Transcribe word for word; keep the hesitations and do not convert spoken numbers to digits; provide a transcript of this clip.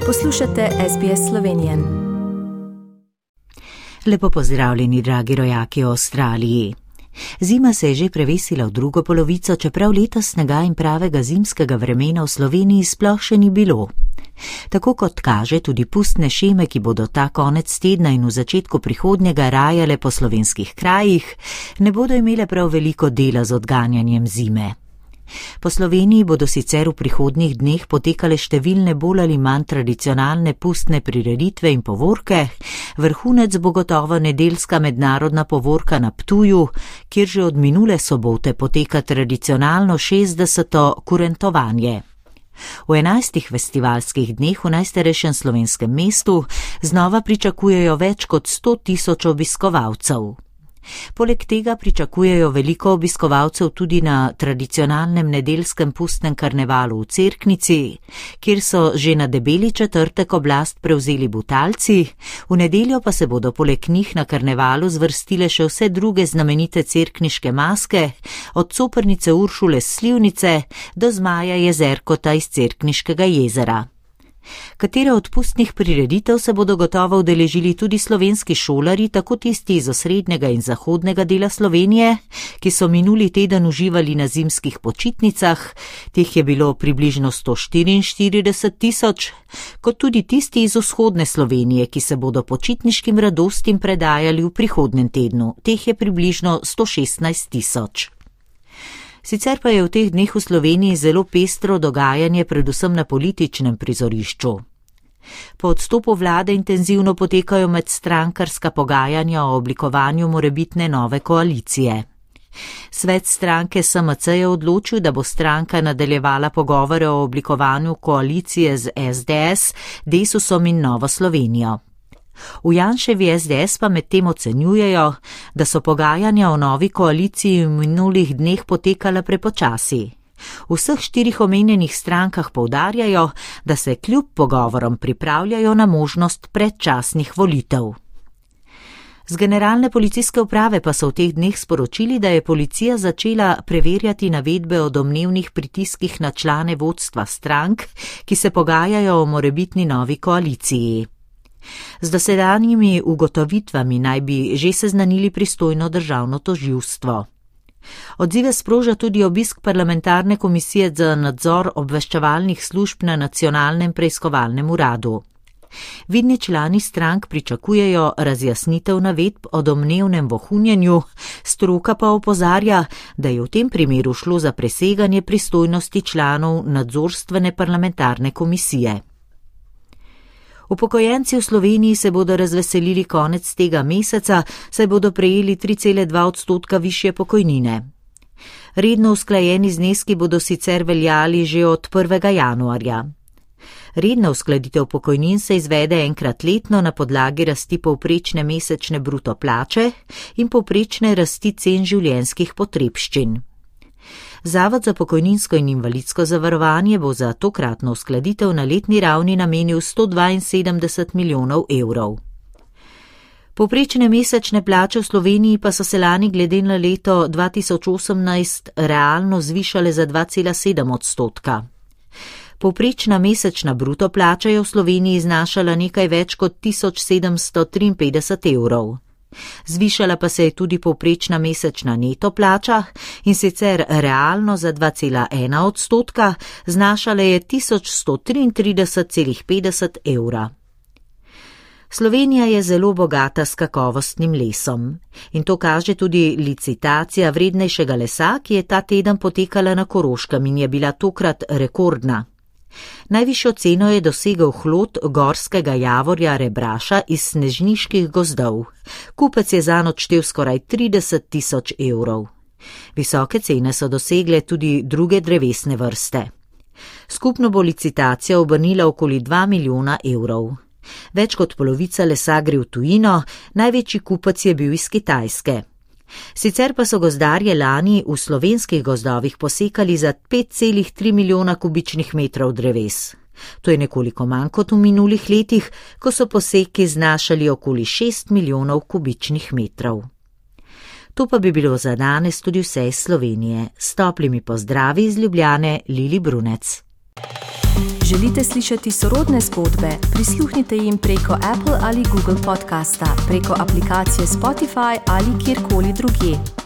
Poslušate S B S Slovenije. Lepo pozdravljeni, dragi rojaki v Avstraliji. Zima se je že prevesila v drugo polovico, čeprav letos snega in pravega zimskega vremena v Sloveniji sploh še ni bilo. Tako kot kaže tudi pustne šeme, ki bodo ta konec tedna in v začetku prihodnjega rajale po slovenskih krajih, ne bodo imele prav veliko dela z odganjanjem zime. Po Sloveniji bodo sicer v prihodnjih dneh potekale številne bolj ali manj tradicionalne pustne prireditve in povorke, vrhunec bo gotovo nedeljska mednarodna povorka na Ptuju, kjer že od minule sobote poteka tradicionalno šestdeseto kurentovanje. V enajstih festivalskih dneh v najstarejšem slovenskem mestu znova pričakujejo več kot sto tisoč obiskovalcev. Poleg tega pričakujejo veliko obiskovalcev tudi na tradicionalnem nedeljskem pustnem karnevalu v Cerknici, kjer so že na debeli četrtek oblast prevzeli Butalci, v nedeljo pa se bodo poleg njih na karnevalu zvrstile še vse druge znamenite cerkniške maske, od Coprnice Uršule s Slivnice do Zmaja Jezerkota iz Cerkniškega jezera. Katere od pustnih prireditev se bodo gotovo udeležili tudi slovenski šolarji, tako tisti iz osrednjega in zahodnega dela Slovenije, ki so minuli teden uživali na zimskih počitnicah, teh je bilo približno sto štiriinštirideset tisoč, kot tudi tisti iz vzhodne Slovenije, ki se bodo počitniškim radostim predajali v prihodnjem tednu, teh je približno sto šestnajst tisoč. Sicer pa je v teh dneh v Sloveniji zelo pestro dogajanje predvsem na političnem prizorišču. Po odstopu vlade intenzivno potekajo medstrankarska pogajanja o oblikovanju morebitne nove koalicije. Svet stranke S M C je odločil, da bo stranka nadaljevala pogovore o oblikovanju koalicije z S D S, Desusom in Novo Slovenijo. V Janševi S D S pa medtem ocenjujejo, da so pogajanja o novi koaliciji v minulih dneh potekala prepočasi. V vseh štirih omenjenih strankah poudarjajo, da se kljub pogovorom pripravljajo na možnost predčasnih volitev. Z generalne policijske uprave pa so v teh dneh sporočili, da je policija začela preverjati navedbe o domnevnih pritiskih na člane vodstva strank, ki se pogajajo o morebitni novi koaliciji. Z dosedanjimi ugotovitvami naj bi že seznanili pristojno državno tožilstvo. Odzive sproža tudi obisk parlamentarne komisije za nadzor obveščevalnih služb na nacionalnem preiskovalnem uradu. Vidni člani strank pričakujejo razjasnitev navedb o domnevnem vohunjenju, stroka pa opozarja, da je v tem primeru šlo za preseganje pristojnosti članov nadzorstvene parlamentarne komisije. Upokojenci v Sloveniji se bodo razveselili konec tega meseca, saj bodo prejeli tri cele dva odstotka višje pokojnine. Redno usklajeni zneski bodo sicer veljali že od prvega januarja. Redna uskladitev pokojnin se izvede enkrat letno na podlagi rasti povprečne mesečne bruto plače in povprečne rasti cen življenjskih potrebščin. Zavod za pokojninsko in invalidsko zavarovanje bo za tokratno uskladitev na letni ravni namenil sto dvainsedemdeset milijonov evrov. Povprečne mesečne plače v Sloveniji pa so se lani glede na leto dva tisoč osemnajst realno zvišale za dva cela sedem odstotka. Povprečna mesečna bruto plača je v Sloveniji znašala nekaj več kot tisoč sedemsto triinpetdeset evrov. Zvišala pa se je tudi povprečna mesečna neto plača in sicer realno za dva cela ena odstotka, znašala je tisoč sto triintrideset cela petdeset evra. Slovenija je zelo bogata s kakovostnim lesom in to kaže tudi licitacija vrednejšega lesa, ki je ta teden potekala na Koroškem in je bila tokrat rekordna. Najvišjo ceno je dosegel hlod gorskega javorja rebraša iz snežniških gozdov. Kupec je zanj odštel skoraj trideset tisoč evrov. Visoke cene so dosegle tudi druge drevesne vrste. Skupno bo licitacija obrnila okoli dva milijona evrov. Več kot polovica lesa gre v tujino, največji kupec je bil iz Kitajske. Sicer pa so gozdarje lani v slovenskih gozdovih posekali za pet cela tri milijona kubičnih metrov dreves. To je nekoliko manj kot v minulih letih, ko so poseki znašali okoli šest milijonov kubičnih metrov. To pa bi bilo za danes tudi vse iz Slovenije. S toplimi pozdravi iz Ljubljane, Lili Brunec. Želite slišati sorodne zgodbe? Prisluhnite jim preko Apple ali Google podcasta, preko aplikacije Spotify ali kjerkoli drugje.